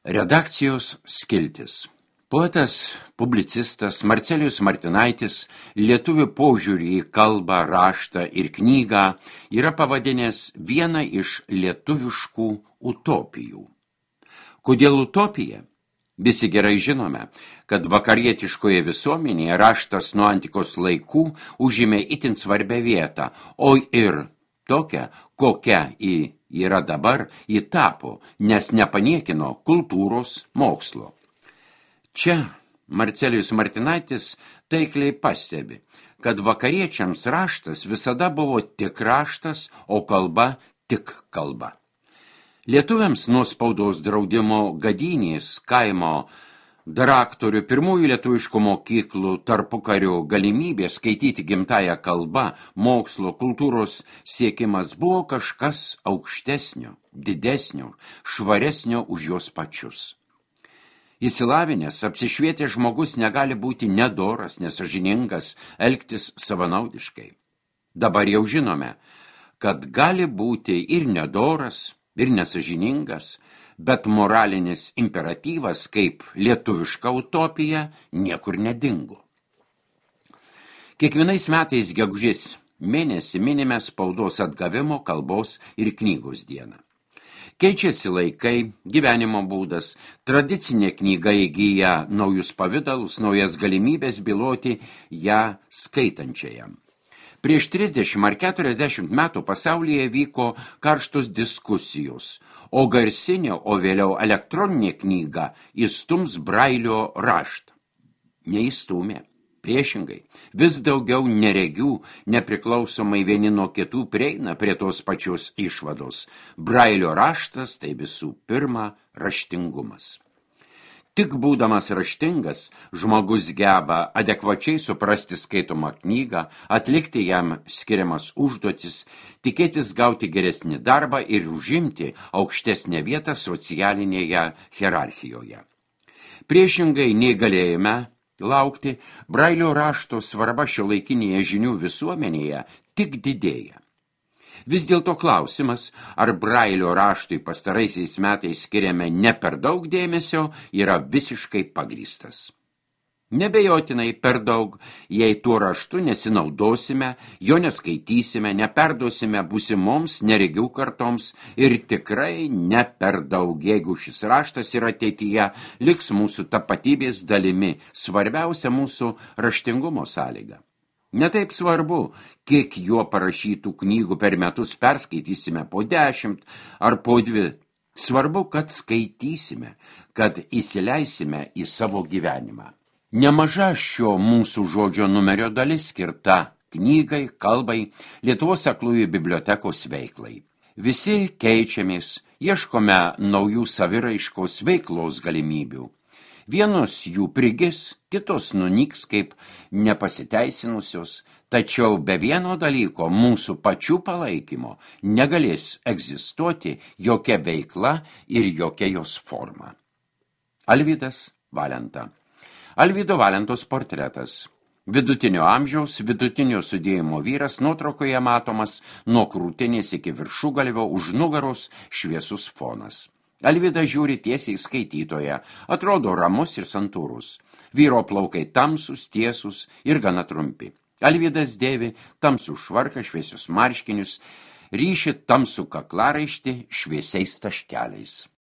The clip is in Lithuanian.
Redakcijos skiltis. Poetas, publicistas Marcelijus Martinaitis lietuvių požiūrį į kalbą, raštą ir knygą yra pavadinęs vieną iš lietuviškų utopijų. Kodėl utopija? Visi gerai žinome, kad vakarietiškoje visuomenėje raštas nuo antikos laikų užėmė itin svarbią vietą, o ir tokią, kokia yra dabar, ji tapo, nes nepaniekino kultūros mokslo. Čia Marcelijus Martinaitis taikliai pastebi, kad vakariečiams raštas visada buvo tik raštas, o kalba tik kalba. Lietuviams nuo spaudos draudimo gadynės, kaimo daraktorių, pirmųjų lietuviškų mokyklų, tarpukario galimybė skaityti gimtąją kalbą, mokslo, kultūros siekimas buvo kažkas aukštesnio, didesnio, švaresnio už juos pačius. Įsilavinęs, apsišvietęs žmogus negali būti nedoras, nesažiningas, elgtis savanaudiškai. Dabar jau žinome, kad gali būti ir nedoras, ir nesažiningas, bet moralinis imperatyvas kaip lietuviška utopija niekur nedingo. Kiekvienais metais gegužės mėnesį minime spaudos atgavimo, kalbos ir knygos dieną. Keičiasi laikai, gyvenimo būdas, tradicinė knyga įgyja naujus pavidalus, naujas galimybės byloti ją skaitančiajam. Prieš 30 ar 40 metų pasaulyje vyko karštos diskusijos, o garsinė, o vėliau elektroninė knyga įstums Brailio raštą. Neįstumė. Priešingai, vis daugiau neregių, nepriklausomai vieni nuo kitų prieina prie tos pačios išvados. Brailio raštas tai visų pirma raštingumas. Tik būdamas raštingas, žmogus geba adekvačiai suprasti skaitomą knygą, atlikti jam skiriamas užduotis, tikėtis gauti geresnį darbą ir užimti aukštesnę vietą socialinėje hierarchijoje. Priešingai nei galėjome laukti, Brailio rašto svarba šiuolaikinėje žinių visuomenėje tik didėja. Vis dėlto klausimas, ar Brailio raštui pastaraisiais metais skiriame ne per daug dėmesio, yra visiškai pagrįstas. Nebejotinai per daug, jei tuo raštu nesinaudosime, jo neskaitysime, neperduosime būsimoms neregių kartoms ir tikrai ne per daug, jeigu šis raštas ir ateityje liks mūsų tapatybės dalimi, svarbiausia mūsų raštingumo sąlyga. Netaip svarbu, kiek juo parašytų knygų per metus perskaitysime po 10 ar po 2. Svarbu, kad skaitysime, kad įsileisime į savo gyvenimą. Nemaža šio mūsų žodžio numerio dalis skirta knygai, kalbai, Lietuvos aklųjų bibliotekos veiklai. Visi keičiamės, ieškome naujų saviraiškos veiklos galimybių. Vienos jų prigis, kitos nunyks kaip nepasiteisinusios, tačiau be vieno dalyko mūsų pačių palaikymo negalės egzistuoti jokia veikla ir jokia jos forma. Alvydas Valenta. Alvydo Valentos portretas. Vidutinio amžiaus, vidutinio sudėjimo vyras, nuotraukoje matomas nuo krūtinės iki viršugalvio, už nugaros šviesus fonas. Alvydas žiūri tiesiai skaitytoje, atrodo ramus ir santūrus. Vyro plaukai tamsus, tiesus ir gana trumpi. Alvydas dėvi tamsų švarką, šviesius marškinius, ryši tamsų kaklaraištį šviesiais taškeliais.